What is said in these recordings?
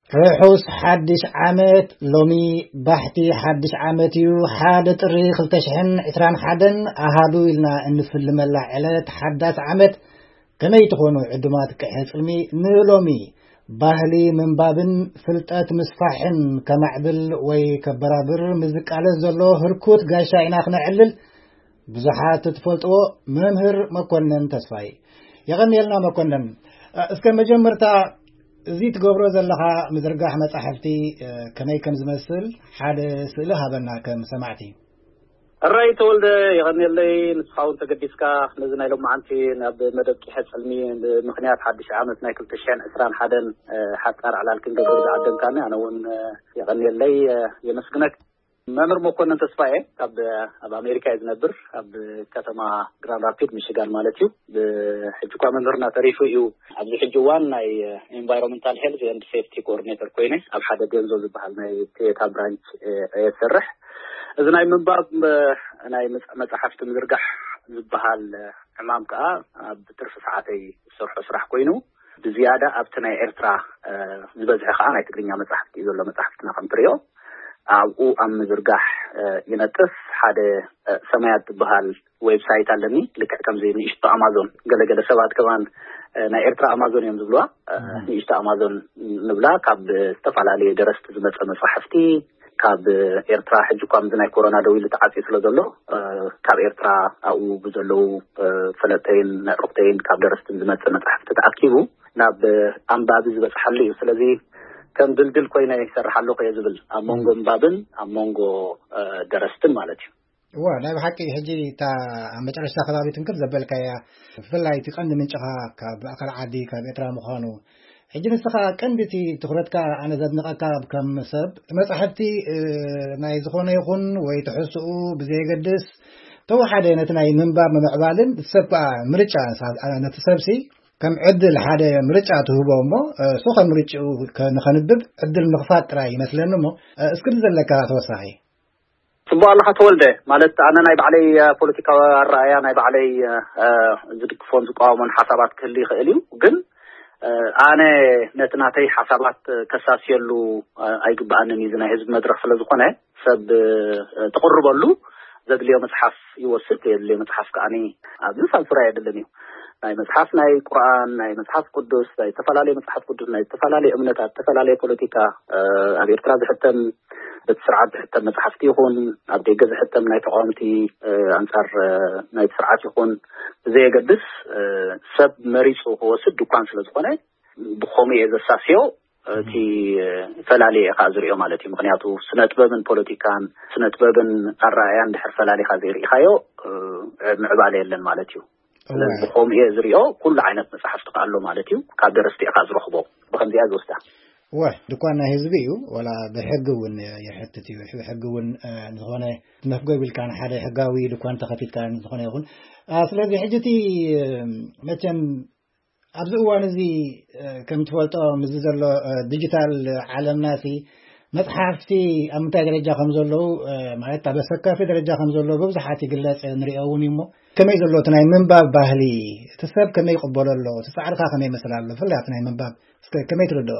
ርሑስ ሓድሽ ዓመት። ሎሚ ባሕቲ ሓድሽ ዓመት እዩ። ሓደ ጥሪ ክልተ ሽሕን ዕስራን ሓደን ኣሃዱ ኢልና እንፍልመላ ዕለት ሓዳስ ዓመት። ከመይ ትኾኑ ዕዱማት ቅሐ ጽልሚ? ንሎሚ ባህሊ ምንባብን ፍልጠት ምስፋሕን ከማዕብል ወይ ከበራብር ምስ ዝቃለስ ዘሎ ህርኩት ጋሻ ኢና ክነዕልል። ብዙሓት እትፈልጥዎ መምህር መኮነን ተስፋይ። የቐንየልና መኮነን። እ፣ እስከ መጀመርታ እዚ ትገብሮ ዘለኻ ምዝርጋሕ መጻሕፍቲ፣ እ፣ ከመይ ከም ዝመስል ሓደ ስእሊ ሃበና ከም ሰማዕቲ። እራይ ተወልደ፣ የቐንየለይ። ንስኻ እውን ተገዲስካ ነዚ ናይ ሎማዓንቲ ናብ መደብ ቂሐ ጽልሚ ብምኽንያት ሓድሽ ዓመት ናይ ክልተ ሽሕን ዕስራን ሓደን፣ እ፣ ሓጻር ዕላል ክንገብር ዝዓደምካኒ ኣነ እውን፣ እ፣ የቐንየለይ፣ እ፣ የመስግነክ። መምህር መኮነን ተስፋዬ ካብ ኣብ ኣሜሪካ እዩ ዝነብር፣ ኣብ ከተማ ግራንድ ራፒድ ሚሽጋን ማለት እዩ። ብሕጂ እኳ መምህርና ተሪፉ እዩ። ኣብዚ ሕጂ እዋን ናይ ኤንቫይሮንመንታል ሄልዝ ኤንድ ሴፍቲ ኮኦርዲኔተር ኮይነ ኣብ ሓደ ገንዞ ዝበሃል ናይ ቶዮታ ብራንች፣ እ፣ እየ ዝሰርሕ። እዚ ናይ ምንባብ፣ እ፣ ናይ መጽ-፣ መጽሓፍቲ ምዝርጋሕ ዝበሃል፣ እ፣ ዕማም ከዓ ኣብ ትርፊ ሰዓተይ ዝሰርሖ ስራሕ ኮይኑ፣ ብዝያዳ ኣብቲ ናይ ኤርትራ፣ እ፣ ዝበዝሐ ከዓ ናይ ትግርኛ መጽሓፍቲ እዩ ዘሎ። መጽሓፍትና ከም ትሪኦ ኣብኡ ኣብ ምዝርጋሕ፣ እ፣ ይነጥፍ። ሓደ፣ እ፣ ሰማያት ዝበሃል ዌብሳይት ኣለኒ። ልክዕ ከምዚ ንእሽቶ ኣማዞን፣ ገለገለ ሰባት ከማን፣ እ፣ ናይ ኤርትራ ኣማዞን እዮም ዝብልዋ። እ፣ እህ። ንእሽቶ ኣማዞን ንብላ፣ ካብ ዝተፈላለዩ ደረስቲ ዝመጸ መጻሕፍቲ፣ ካብ ኤርትራ ሕጂ እኳ ምዚ ናይ ኮሮና ደው ኢሉ ተዓጽዩ ስለ ዘሎ፣ እ፣ ካብ ኤርትራ ኣብኡ ብዘለዉ፣ እ፣ ፈለጠይን ነዕሩኽተይን ካብ ደረስትን ዝመጸ መጻሕፍቲ ተኣኪቡ ናብ ኣንባቢ ዝበጽሓሉ እዩ። ስለዚ ከም ድልድል ኮይነ ይሰርሕ ኣለኹ እየ ዝብል፣ ኣብ መንጎ፣ እም። ኣንባብን ኣብ መንጎ፣ እ፣ ደረስትን ማለት እዩ። እወ፣ ናይ ብሓቂ ሕጂ እታ ኣብ መጨረሽታ ከባቢ ትንክፍ ዘበልካያ፣ ብፍላይ እቲ ቀንዲ ምንጭኻ ካብ ኣካል ዓዲ፣ ካብ ኤርትራ ምዃኑ፣ ሕጂ ንስኻ ቀንዲ እቲ ትኹረትካ ኣነ ዘድንቐካ ከም ሰብ፣ መጻሕፍቲ፣ እ፣ ናይ ዝኾነ ይኹን ወይ ትሕዝትኡ ብዘየገድስ፣ ተወሓደ ነቲ ናይ ምንባብ ምምዕባልን እቲ ሰብ ከኣ ምርጫ፣ ንሳ-፣ ነቲ ሰብሲ ከም ዕድል ሓደ ምርጫ ትህቦ እሞ፣ እ፣ እሱ ከም ምርጫኡ ከ-፣ ንኸንብብ ዕድል ምኽፋት ጥራይ ይመስለኒ እሞ፣ እ፣ እስኪ እቲ ዘለካ ተወሳኺ። ጽቡቕ ኣለኻ ተወልደ። ማለት ኣነ ናይ ባዕለይ፣ እ፣ ፖለቲካዊ ኣረኣእያ ናይ ባዕለይ፣ እ፣ እ፣ ዝድግፎን ዝቃወሞን ሓሳባት ክህሉ ይኽእል እዩ። ግን፣ እ፣ ኣነ ነቲ ናተይ ሓሳባት ከሳስየሉ፣ እ፣ ኣይግብኣንን እዩ። እዚ ናይ ህዝቢ መድረኽ ስለ ዝኾነ ሰብ፣ እ፣ ትቕርበሉ ዘድልዮ መጽሓፍ ይወስድ፣ ዘየድልዮ መጽሓፍ ከኣኒ ኣብዚ ሳንሱር ኣየድልን እዩ። ናይ መጽሓፍ ናይ ቁርኣን፣ ናይ መጽሓፍ ቅዱስ፣ ናይ ዝተፈላለዩ መጽሓፍ ቅዱስ፣ ናይ ዝተፈላለዩ እምነታት፣ ዝተፈላለዩ ፖለቲካ፣ እ፣ ኣብ ኤርትራ ዝሕተም በቲ ስርዓት ዝሕተም መጽሓፍቲ ይኹን፣ ኣብ ደገ ዝሕተም ናይ ተቃወምቲ፣ እ፣ ኣንጻር፣ እ፣ ናይቲ ስርዓት ይኹን ብዘየገድስ፣ እ፣ ሰብ መሪጹ ክወስድ ድኳን ስለ ዝኾነ፣ ብኸምኡ እየ ዘሳስዮ። እቲ ፈላልየ እየ ከዓ ዝሪኦ ማለት እዩ። ምኽንያቱ ስነ ጥበብን ፖለቲካን፣ ስነ ጥበብን ኣረኣእያን ድሕር ፈላሊኻ ዘይርኢኻዮ፣ እ፣ ምዕባለ የለን ማለት እዩ። ስለዚ እወ። ብኸምኡ እየ ዝሪኦ፣ ኩሉ ዓይነት መጽሓፍቲ ከዓ ኣሎ ማለት እዩ። ካብ ደረስቲ እየ ከዓ ዝረኽቦ። ብኸምዚኣ ዝወስዳ። እወ፣ ድኳን ናይ ህዝቢ እዩ፣ ዋላ ብሕጊ እውን የሕትት እዩ። ብሕጊ እውን፣ እ፣ ዝኾነ መፍገብ ኢልካ ንሓደ ሕጋዊ ድኳን ተኸፊትካ ዝኾነ ይኹን። አ፣ ስለዚ ሕጂ እቲ፣ እ፣ መቸም ኣብዚ እዋን እዚ፣ እ፣ ከም ትፈልጦ ምስዚ ዘሎ፣ እ፣ ዲጂታል ዓለምና ሲ መጽሓፍቲ ኣብ ምንታይ ደረጃ ከም ዘለዉ፣ እ፣ ማለት ኣብ ኣሰካፊ ደረጃ ከም ዘለዉ ብብዙሓት ይግለጽ፣ ንሪኦ እውን እዩ። እሞ ከመይ ዘሎ እቲ ናይ ምንባብ ባህሊ፣ እቲ ሰብ ከመይ ይቕበሎ ኣሎ፣ እቲ ጻዕርካ ከመይ ይመስል ኣሎ፣ ብፍላይ ኣብቲ ናይ ምንባብ እስከ ከመይ ትርድኦ?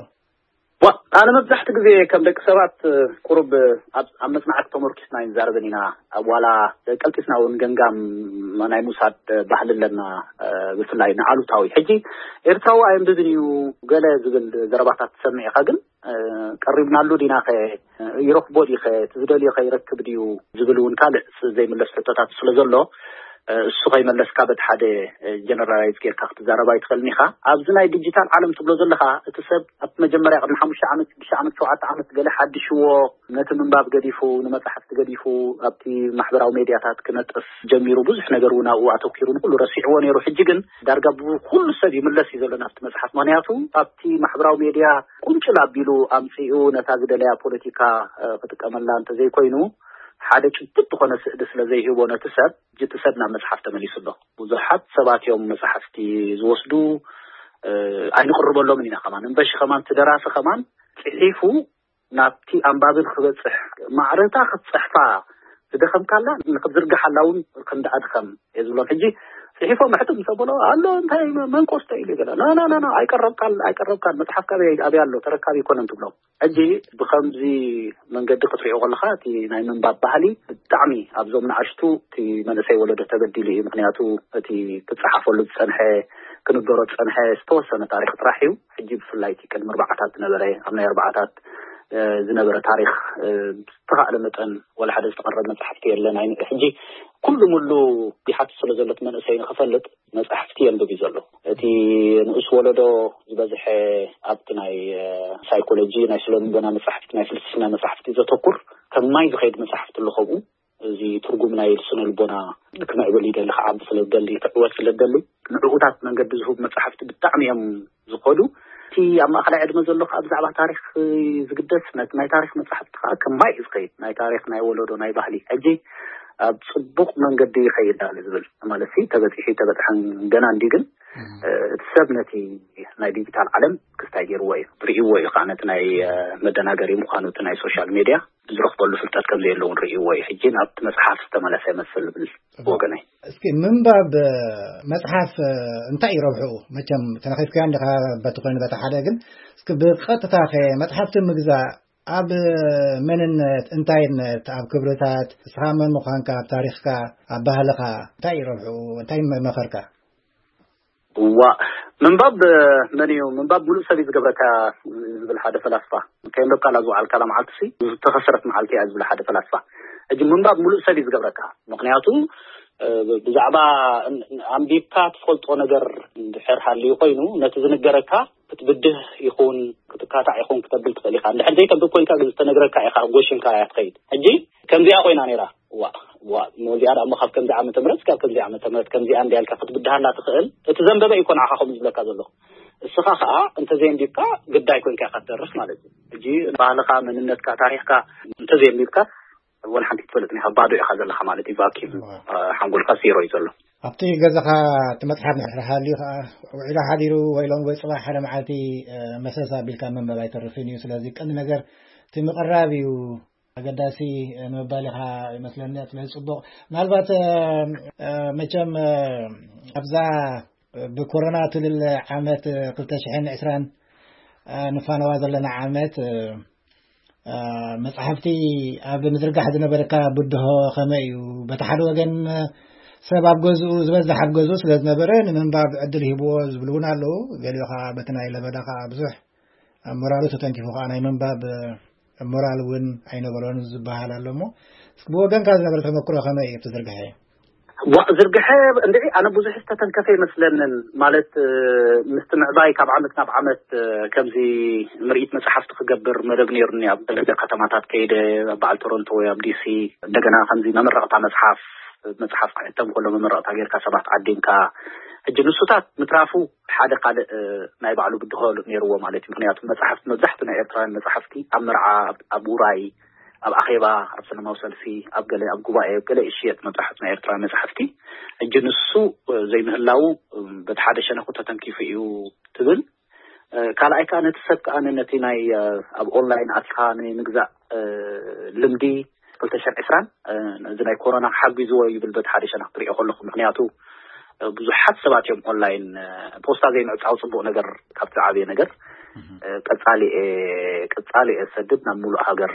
ዋ፣ ኣነ መብዛሕቲ ግዜ ከም ደቂ ሰባት፣ እ፣ ቁሩብ፣ እ፣ ኣብ፣ ኣብ መጽናዕቲ ተመርኪስና ኣይንዛረብን ኢና። ኣብ ዋላ ቀልጢፍና እውን ገምጋም ናይ ምውሳድ ባህሊ ኣለና፣ እ፣ ብፍላይ ንኣሉታዊ። ሕጂ ኤርትራዊ ኣየንብብን እዩ ገለ ዝብል ዘረባታት ትሰምዕ ኢኻ፣ ግን፣ እ፣ ቀሪብናሉ ዲናኸ፣ ይረኽቦ ዲኸ፣ እቲ ዝደልዮ ከ ይረክብ ድዩ ዝብል እውን ካልእ ዘይምለስ ሕቶታት ስለ ዘሎ፣ እ፣ እሱ ከይመለስካ በቲ ሓደ፣ እ፣ ጀነራላይዝ ጌርካ ክትዛረብ ኣይትኽእልን ኢኻ። ኣብዚ ናይ ዲጂታል ዓለም ትብሎ ዘለኻ፣ እቲ ሰብ ኣብቲ መጀመርያ ቅድሚ ሓሙሽተ ዓመት፣ ሽዱሽተ ዓመት፣ ሸውዓተ ዓመት ገለ ሓድሽዎ፣ ነቲ ምንባብ ገዲፉ፣ ንመጻሕፍቲ ገዲፉ፣ ኣብቲ ማሕበራዊ ሜድያታት ክነጥፍ ጀሚሩ፣ ብዙሕ ነገር እውን ኣብኡ ኣተኲሩ፣ ንኹሉ ረሲዕዎ ነይሩ። ሕጂ ግን ዳርጋ ብኩሉ ሰብ ይምለስ እዩ ዘሎ ናብቲ መጽሓፍ። ምኽንያቱ ኣብቲ ማሕበራዊ ሜድያ ቁንጭል ኣቢሉ ኣምጺኡ ነታ ዝደለያ ፖለቲካ፣ እ፣ ክጥቀመላ እንተዘይኮይኑ፣ ሓደ ጭቡጥ ዝኾነ ስእሊ ስለ ዘይህቦ ነቲ ሰብ፣ እቲ ሰብ ናብ መጽሓፍ ተመሊሱ ኣሎ። ብዙሓት ሰባት እዮም መጽሓፍቲ ዝወስዱ፣ እ፣ ኣይንቕርበሎምን ኢና ከማን። እምበሺ ከማን እቲ ደራሲ ከማን ጽሒፉ ናብቲ ኣንባቢ ንክበጽሕ፣ ማዕረታ ክትጽሕፋ ዝደኸምካላ ንክትዝርግሓላ እውን ከም ደኣ ድኸም እየ ዝብሎም። ሕጂ ጽሒፎም ሕትም ምስ ኣበሎ ኣሎ እንታይ መ- መንቆስተ ኢሉ ገለ ና ና ና ና ኣይቀረብካን ኣይቀረብካን መጽሓፍካ ኣበይ ኣበይ ኣሎ ተረካቢ ኣይኮነን ትብሎም። ሕጂ ብኸምዚ መንገዲ ክትሪኦ ከለኻ እቲ ናይ ምንባብ ባህሊ ብጣዕሚ ኣብዞም ንኣሽቱ እቲ መንእሰይ ወለዶ ተበዲሉ እዩ። ምክንያቱ እቲ ክጸሓፈሉ ዝጸንሐ ክንገሮ ዝጸንሐ ዝተወሰነ ታሪክ ጥራሕ እዩ። ሕጂ ብፍላይ እቲ ቅድሚ ኣርባዓታት ዝነበረ ኣብ ናይ ኣርባዓታት ዝነበረ ታሪክ ዝተኻእለ መጠን ወላ ሓደ ዝተቐረብ መፅሓፍቲ የለን። ኣይ ሕጂ ኩሉ ሙሉ ይሓትት ስለ ዘሎ እቲ መንእሰይ ንክፈልጥ መፅሓፍቲ የንብብ እዩ ዘሎ። እቲ ንኡስ ወለዶ ዝበዝሐ ኣብቲ ናይ ሳይኮሎጂ ናይ ስነ ልቦና መፅሓፍቲ ናይ ፍልስፍና መፅሓፍቲ ዘተኩር ከም ማይ ዝኸይድ መፅሓፍቲ ኣሎ። ከምኡ እዚ ትርጉም ናይ ስነ ልቦና ክምዕብል ይደሊ ክዓቢ ስለ ዝደሊ ክዕወት ስለ ዝደሊ ንዕኡታት መንገዲ ዝህቡ መፅሓፍቲ ብጣዕሚ እዮም ዝኸዱ። እቲ ኣብ ማእኸላይ ዕድመ ዘሎ ከዓ ብዛዕባ ታሪክ ዝግደስ ነቲ ናይ ታሪክ መፅሓፍቲ ከዓ ከም ማይ እዩ ዝኸይድ ናይ ታሪክ ናይ ወለዶ ናይ ባህሊ ሕጂ ኣብ ፅቡቅ መንገዲ ይኸይድ ኣሎ ዝብል ማለት ተበፂሑ ተበፅሐን ገና እንዲ ግን እቲ ሰብ ነቲ ናይ ዲጂታል ዓለም ክስታይ ገይርዎ እዩ ርእይዎ እዩ ከዓ ነቲ ናይ መደናገሪ ምኳኑ እቲ ናይ ሶሻል ሜድያ ዝረኽበሉ ፍልጠት ከም ዘየለውን ርእይዎ እዩ። ሕጂ ናብቲ መፅሓፍ ዝተመለሰ ይመስል ዝብል ወገነይ። እስኪ ምንባብ መፅሓፍ እንታይ እዩ ረብሕኡ? መቸም ተነኺፍካዮ እንዲኻ በቲ ኮይኑ በቲ ሓደ ግን እስኪ ብቐጥታ ከ መፅሓፍቲ ምግዛእ ኣብ መንነት እንታይነት ኣብ ክብርታት እስኻ መን ምዃንካ ኣብ ታሪኽካ ኣብ ባህልኻ እንታይ እዩ ረብሕኡ? እንታይ መኸርካ? እዋ ምንባብ መን እዩ ምንባብ ሙሉእ ሰብ እዩ ዝገብረካ ዝብል ሓደ ፈላስፋ ከየንበብካ ላ ዝውዓልካ ላ መዓልቲ ሲ ዝተኸሰረት መዓልቲ እያ ዝብል ሓደ ፈላስፋ። ሕጂ ምንባብ ሙሉእ ሰብ እዩ ዝገብረካ። ምክንያቱ ብዛዕባ ኣንቢብካ ትፈልጦ ነገር እንድሕር ሃልዩ ኮይኑ ነቲ ዝንገረካ ክትብድህ ይኹን ክትካታዕ ይኹን ክተብል ትኽእል ኢኻ። እንድሕር ዘይተንብብ ኮይንካ ግን ዝተነግረካ ኢኻ ጎሽንካ እያ ትኸይድ። ሕጂ ከምዚኣ ኮይና ነይራ። ዋ ዋ ሞዚኣ ደኣ እሞ ካብ ከምዚ ዓመተ ምህረት ካብ ከምዚ ዓመተ ምህረት ከምዚኣ እንዲያ ኢልካ ክትብድሃላ ትኽእል። እቲ ዘንበበ እዩ እኮ ንዓኻ ከምኡ ዝብለካ ዘሎ። እስኻ ኸኣ እንተዘየንቢብካ ግዳይ ኮይንካ ኢኻ ትተርፍ ማለት እዩ። ሕጂ ባህልኻ፣ መንነትካ፣ ታሪኽካ እንተዘየንቢብካ ወላ ሓንቲ ትፈልጥን ኢኻ፣ ባዶ ኢኻ ዘለኻ ማለት እዩ። ቫኪዩም ሓንጎልካ ዜሮ እዩ ዘሎ። ኣብቲ ገዛኻ እቲ መጽሓፍ እንድሕር ሃልዩ ኸኣ ውዒሉ ሓዲሩ ወይ ሎሚ ወይ ጽባሕ ሓደ መዓልቲ መሰስ ኣቢልካ ምንባብ ኣይተርፍን እዩ። ስለዚ ቀንዲ ነገር እቲ ምቕራብ እዩ ኣገዳሲ ንምባል ኢኻ ይመስለኒ። ስለዚ ጽቡቕ። ምናልባት መቸም ኣብዛ ብኮሮና ትብል ዓመት ክልተ ሽሕን ዕስራን ንፋነዋ ዘለና ዓመት መጽሓፍቲ ኣብ ምዝርጋሕ ዝነበረካ ብድሆ ከመይ እዩ? በቲ ሓደ ወገን ሰብ ኣብ ገዝኡ ዝበዝሕ ኣብ ገዝኡ ስለ ዝነበረ ንምንባብ ዕድል ሂብዎ ዝብሉ እውን ኣለዉ። ገሊኡ ከዓ በቲ ናይ ለበዳ ከዓ ብዙሕ ኣብ ሞራሉ ተተንኪፉ ከዓ ናይ ምንባብ ሞራል እውን ኣይነበሮን ዝበሃል ኣሎ። እሞ እስኪ ብወገንካ ዝነበረ ተመክሮ ከመይ እዩ እቲ ዝርግሐ? ዋ ዝርግሐ እንድዒ ኣነ ብዙሕ ዝተተንከፈ ይመስለንን። ማለት ምስቲ ምዕባይ ካብ ዓመት ናብ ዓመት ከምዚ ምርኢት መጽሓፍቲ ክገብር መደብ ነይሩኒ። ኣብ ገለ ከተማታት ከይደ ኣብ በዓል ቶሮንቶ ወይ ኣብ ዲሲ እንደገና ከምዚ መመረቕታ መጽሓፍ መጽሓፍ ክሕተም ከሎ መመረቕታ ጌርካ ሰባት ዓዲምካ ሕጂ ንሱታት ምትራፉ ሓደ ካልእ ናይ ባዕሉ ብድሆ ነይርዎ ማለት እዩ። ምክንያቱ መጽሓፍቲ መብዛሕትኡ ናይ ኤርትራውያን መጽሓፍቲ ኣብ መርዓ ኣብ ውራይ ኣብ ኣኼባ ኣብ ሰላማዊ ሰልፊ ኣብ ገለ ኣብ ጉባኤ ኣብ ገለ ይሽየጥ መብዛሕቱ ናይ ኤርትራዊ መጽሓፍቲ። ሕጂ ንሱ ዘይምህላዉ በቲ ሓደ ሸነኹ ተተንኪፉ እዩ ትብል። ካልኣይ ከዓ ነቲ ሰብ ከዓ ነቲ ናይ ኣብ ኦንላይን ኣትኻ ናይ ምግዛእ ልምዲ ክልተ ሽሕን ዕስራን እዚ ናይ ኮሮና ሓጒዝዎ ይብል በቲ ሓደ ሸነኽ ትሪኦ ከለኹ። ምክንያቱ ብዙሓት ሰባት እዮም ኦንላይን ፖስታ ዘይምዕፃው ፅቡቅ ነገር ካብቲ ዝዓበየ ነገር ቀፃሊ ቀፃሊ እየ ዝሰድድ ናብ ሙሉእ ሃገር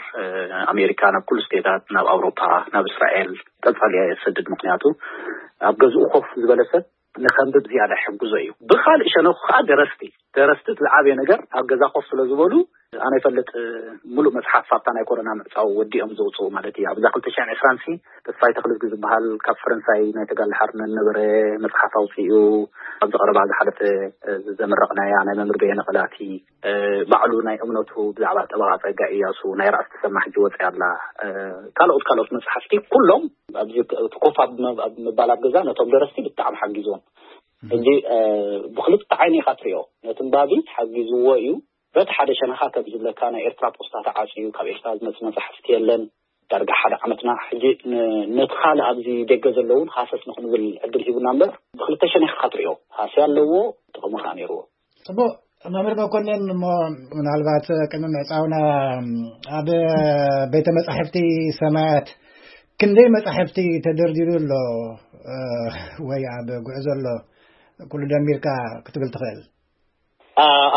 ኣሜሪካ ናብ ኩሉ ስቴታት ናብ ኣውሮፓ ናብ እስራኤል ቀፃሊ እየ ዝሰድድ። ምክንያቱ ኣብ ገዝኡ ኮፍ ዝበለ ሰብ ንከንብብ ዝያዳ ይሕግዞ እዩ። ብካልእ ሸነኩ ከዓ ደረስቲ ደረስቲ እቲ ዝዓበየ ነገር ኣብ ገዛ ኮፍ ስለ ዝበሉ ኣነ ይፈልጥ ሙሉእ መፅሓፍ ኣብታ ናይ ኮሮና ምዕፃው ወዲኦም ዘውፅኡ ማለት እዩ። ኣብዛ ክልተ ሽሕን ዕስራን ሲ ተስፋይ ተክልዝጊ ዝበሃል ካብ ፈረንሳይ ናይ ተጋድሎ ሓርነት ዝነበረ መፅሓፍ ኣውፂኡ ኣብዚ ቀረባ ዝሓለፈ ዘመረቕናያ ናይ መምህር በየነ ቀላቲ ባዕሉ ናይ እምነቱ ብዛዕባ ጠበቓ ፀጋ እያሱ ናይ ራእሲ ተሰማ ሕጂ ወፂኣ ኣላ። ካልኦት ካልኦት መፅሓፍቲ ኩሎም ኣብዚ ኮፍ ኣብ ምባል ኣብ ገዛ ነቶም ደረስቲ ብጣዕሚ ሓጊዞም። ሕጂ ብክልተ ዓይኒ ኢካ ትሪኦ ነቲ ንባቢ ሓጊዝዎ እዩ። በቲ ሓደ ሸነኻ ከም ዝብለካ ናይ ኤርትራ ፖስታ ተዓፅዩ ካብ ኤርትራ ዝመፅእ መፅሓፍቲ የለን። ዳርጋ ሓደ ዓመትና ሕጂ ነቲ ካልእ ኣብዚ ደገ ዘለውን ሃሰስ ንክንብል ዕድል ሂቡና እምበር ብክልተ ሸነኽ ኢካ ትሪኦ ሃስያ ኣለዎ ጥቕሚ ከዓ ነይርዎ። ፅቡቅ መምህር መኮንን እሞ ምናልባት ቅድሚ ምዕፃውና ኣብ ቤተ መፃሕፍቲ ሰማያት ክንደይ መፃሕፍቲ ተደርዲሩ ኣሎ? ወይ ኣብ ጉዕዞ ኣሎ? ኩሉ ደሚርካ ክትብል ትኽእል?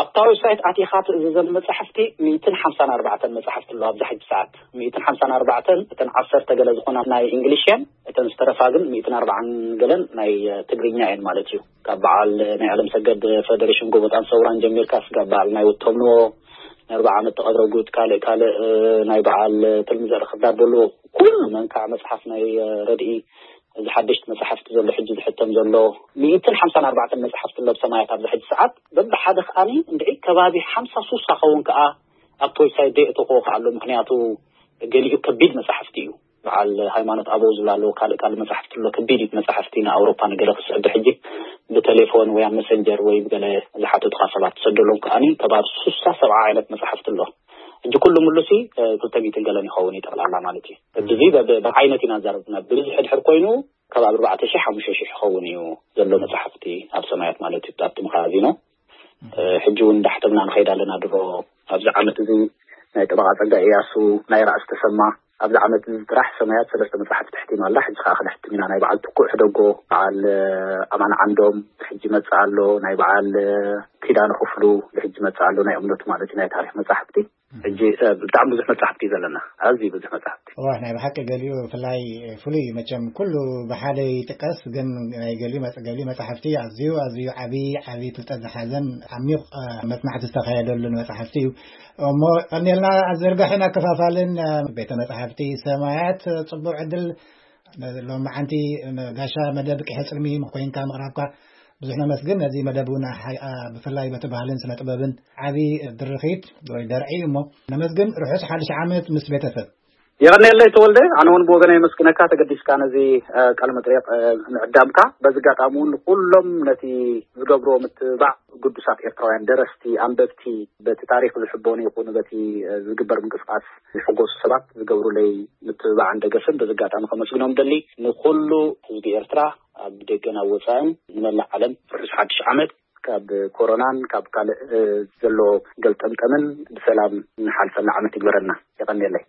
ኣብታ ዌብሳይት ኣቲኻ ትእዝዘን መጻሕፍቲ ሚእትን ሓምሳን ኣርባዕተን መጻሕፍቲ ኣሎ ኣብዚ ሕጂ ሰዓት። ሚእትን ሓምሳን ኣርባዕተን፣ እተን ዓሰርተ ገለ ዝኾና ናይ እንግሊሽ እየን። እተን ዝተረፋ ግን ሚእትን ኣርባዓን ገለን ናይ ትግርኛ እየን ማለት እዩ። ካብ በዓል ናይ ዓለም ሰገድ፣ ፈደሬሽን ጎቦጣን ሰውራን ጀሚርካ ስጋብ በዓል ናይ ወቶም ንዎ፣ ናይ ኣርባዓ ዓመት ተቐብረ ጉድ፣ ካልእ ካልእ ናይ በዓል ትልሚ ዘርኢ ክርዳድ በሉ፣ ኩሉ መንካዕ መጽሓፍ ናይ ረድኢ፣ እዚ ሓደሽቲ መጽሓፍቲ ዘሎ ሕጂ ዝሕተም ዘሎ ሚእትን ሓምሳን ኣርባዕተን መጽሓፍቲ ኣሎ ብሰማያት ኣብዚ ሕጂ ሰዓት። በብሓደ ከኣኒ እንድዒ ከባቢ ሓምሳ ሱሳ ኸውን ከኣ ኣብቲ ዌብሳይት ደየእተኽዎ ከኣ ኣሎ። ምክንያቱ ገሊኡ ከቢድ መጽሓፍቲ እዩ። በዓል ሃይማኖት ኣበው ዝብላ ኣለዉ፣ ካልእ ካልእ መጽሓፍቲ ኣሎ፣ ከቢድ መጽሓፍቲ ንኣውሮፓ ንገለ ክስዕብ ሕጂ ብቴሌፎን ወይ ኣብ መሰንጀር ወይ ብገለ ዝሓተቱኻ ሰባት ትሰደሎም ከኣኒ ከባቢ ሱሳ ሰብዓ ዓይነት መጽሓፍቲ ኣሎ። ሕጂ ኩሉ ምሉሲ ክልተ ሚእትን ገለን ይኸውን እዩ ጠቕላላ ማለት እዩ። እዚ ብዓይነት ኢና ዛረብና። ብብዝሒ ድሕር ኮይኑ ካብ ኣርባዕተ ሺሕ ሓሙሽተ ሺሕ ይኸውን እዩ ዘሎ መጽሓፍቲ ኣብ ሰማያት ማለት እዩ ኣብቲ መኻዚኖ። ሕጂ እውን እንዳሕተምና ንኸይድ ኣለና። ድሮ ኣብዚ ዓመት እዚ ናይ ጠበቓ ጸጋ እያሱ፣ ናይ ራእሲ ተሰማ፣ ኣብዚ ዓመት እዚ ጥራሕ ሰማያት ሰለስተ መጽሓፍቲ ተሕቲማ ኣላ። ሕጂ ከዓ ክነሕትም ኢና። ናይ በዓል ትኩእ ሕደጎ፣ በዓል ኣማን ዓንዶም ሕጂ መጽእ ኣሎ፣ ናይ በዓል ኪዳነ ክፍሉ ሕጂ መጽእ ኣሎ፣ ናይ እምነቱ ማለት እዩ፣ ናይ ታሪክ መጽሓፍቲ። ሕጂ ብጣዕሚ ብዙሕ መጽሓፍቲ እዩ ዘለና፣ ኣዝዩ ብዙሕ መጽሓፍቲ። ዋ፣ ናይ ብሓቂ ገሊኡ ብፍላይ ፍሉይ እዩ። መቸም ኩሉ ብሓደ ይጥቀስ፣ ግን ናይ ገሊኡ መጽ- ገሊኡ መጽሓፍቲ ኣዝዩ ኣዝዩ ዓብዪ ዓብዪ ፍልጠት ዝሓዘን ዓሚቕ መጽናዕቲ ዝተኻየደሉን መጽሓፍቲ እዩ። እሞ ቀኒልና ኣዘርጋሕን ኣከፋፋልን ቤተ መጽሓፍቲ ሰማያት ጽቡቕ ዕድል። ሎም መዓንቲ ጋሻ መደብ ቅሐ ጽልሚ ኮይንካ ምቕራብካ ብዙሕ ነመስግን። ነዚ መደብ እውን ብፍላይ በቲ ባህልን ስነ ጥበብን ዓቢ ድርኺት ወይ ደርዒ እሞ ነመስግን። ርሑስ ሓድሽ ዓመት ምስ ቤተሰብ። የቐንየለይ ተወልደ፣ ኣነ እውን ብወገነ የመስግነካ ተገዲስካ ነዚ ቃለ መጥሪቕ ምዕዳምካ። በዚ ኣጋጣሚ እውን ንኩሎም ነቲ ዝገብርዎ ምትብባዕ ግዱሳት ኤርትራውያን ደረስቲ፣ ኣንበብቲ፣ በቲ ታሪክ ዝሕበኑ ይኹኑ በቲ ዝግበር ምንቅስቃስ ዝሕጎሱ ሰባት ዝገብሩለይ ምትብባዕን ደገፍን በዚ ኣጋጣሚ ከመስግኖም ደሊ። ንኩሉ ህዝቢ ኤርትራ ኣብ ደገን ኣብ ወጻእን ንመላእ ዓለም ርሑስ ሓድሽ ዓመት። ካብ ኮሮናን ካብ ካልእ ዘሎ ገልጠምጠምን ብሰላም ንሓልፈላ ዓመት ይግበረልና። የቐንየለይ።